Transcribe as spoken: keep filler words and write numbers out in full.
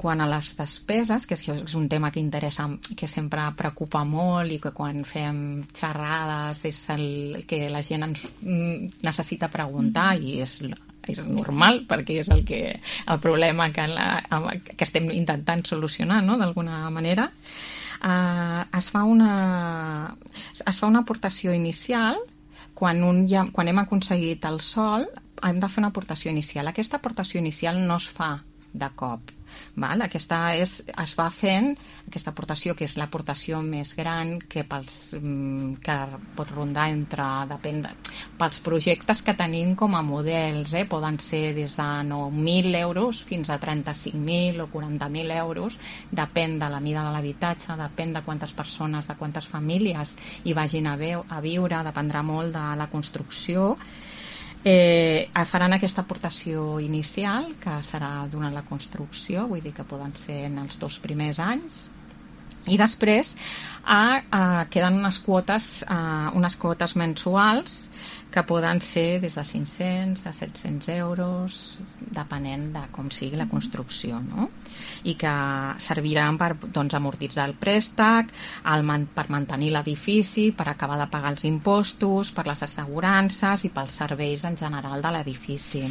quant a les despeses, que és un tema que interessa, que sempre preocupa molt i que quan fem xerrades és el que la gent ens necessita preguntar i és, és normal perquè és el, que, el problema que, la, que estem intentant solucionar, no?, d'alguna manera. Uh, es, fa una, es fa una aportació inicial quan, un ja, quan hem aconseguit el sòl, hem de fer una aportació inicial. Aquesta aportació inicial no es fa de cop. Val? Aquesta és, es va fent, aquesta aportació, que és l'aportació més gran que, pels, que pot rondar entre, depèn de, pels projectes que tenim com a models, eh? Poden ser des de nou mil euros fins a trenta-cinc mil o quaranta mil euros, depèn de la mida de l'habitatge, depèn de quantes persones, de quantes famílies hi vagin a, veu, a viure, dependrà molt de la construcció. Eh, faran aquesta aportació inicial, que serà durant la construcció, vull dir que poden ser en els dos primers anys, i després eh, eh, queden unes quotes, eh, unes quotes mensuals que poden ser des de cinc-cents a set-cents euros, depenent de com sigui la construcció, no? I que serviran per, doncs, amortitzar el préstec, el, per mantenir l'edifici, per acabar de pagar els impostos, per les assegurances i pels serveis en general de l'edifici.